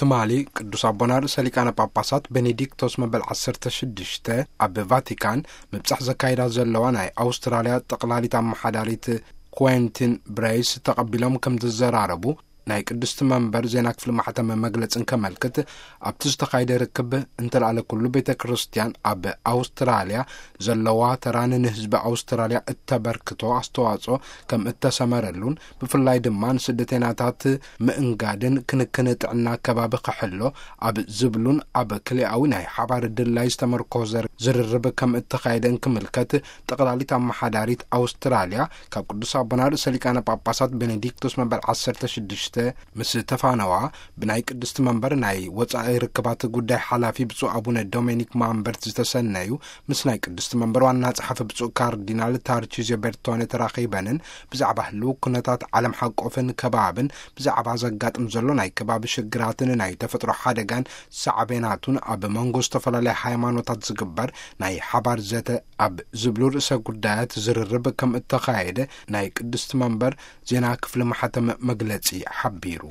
ትማሊ ቅዱስ ኣቦና ርእሰ ሊቃነ ጳጳሳት ቤኔዲክቶስ መበል ዓሰርተ ሽዱሽተ ኣብ ቫቲካን ምብጻሕ ዘካይዳ ዘለዋ ናይ ኣውስትራልያ ጠቕላሊት ኣመሓዳሪት ኩዌንቲን ብሬይስ ተቐቢሎም ከም ዝዘራረቡ ናይ ቅድስቲ መንበር ዜና ክፍሊ ማሕተመ መግለጽን ከመልክት፣ ኣብቲ ዝተኻየደ ርክብ እንተልኣለ ኩሉ ቤተ ክርስቲያን ኣብ ኣውስትራልያ ዘለዋ ተራን ንህዝቢ ኣውስትራልያ እተበርክቶ ኣስተዋጽኦ ከም እተሰመረሉን፣ ብፍላይ ድማ ንስደተኛታት ምእንጋድን ክንክን ጥዕና ከባቢ ክሕሎ ኣብ ዝብሉን ኣብ ክልኣዊ ናይ ሓባር ድላይ ዝተመርኮዘ ዝርርብ ከም እተኻየደን ክምልከት፣ ጠቕላሊት ኣመሓዳሪት ኣውስትራልያ ካብ ቅዱስ ኣቦና ርእሰ ሊቃነ ጳጳሳት ቤኔዲክቶስ መበል ዓሰርተ ሽዱሽተ ምስ ተፋነዋ፣ ብናይ ቅድስቲ መንበር ናይ ወጻኢ ርክባት ጉዳይ ሓላፊ ብፁዕ ኣቡነ ዶሜኒክ ማምበርት ዝተሰነዩ፣ ምስ ናይ ቅድስቲ መንበር ዋና ጸሓፊ ብፁዕ ካርዲናል ታርቺዚዮ ቤርቶነ ተራኺበንን ብዛዕባ ህልው ኩነታት ዓለም ሓቆፍን ከባብን፣ ብዛዕባ ዘጋጥም ዘሎ ናይ ከባቢ ሽግራትን ናይ ተፈጥሮ ሓደጋን ሳዕቤናቱን ኣብ መንጎ ዝተፈላለያ ሃይማኖታት ዝግበር ናይ ሓባር ዘተ ኣብ ዝብሉ ርእሰ ጉዳያት ዝርርብ ከም እተኻየደ ናይ ቅድስቲ መንበር ዜና ክፍሊ ማሕተም መግለጺ ሓቢሩ።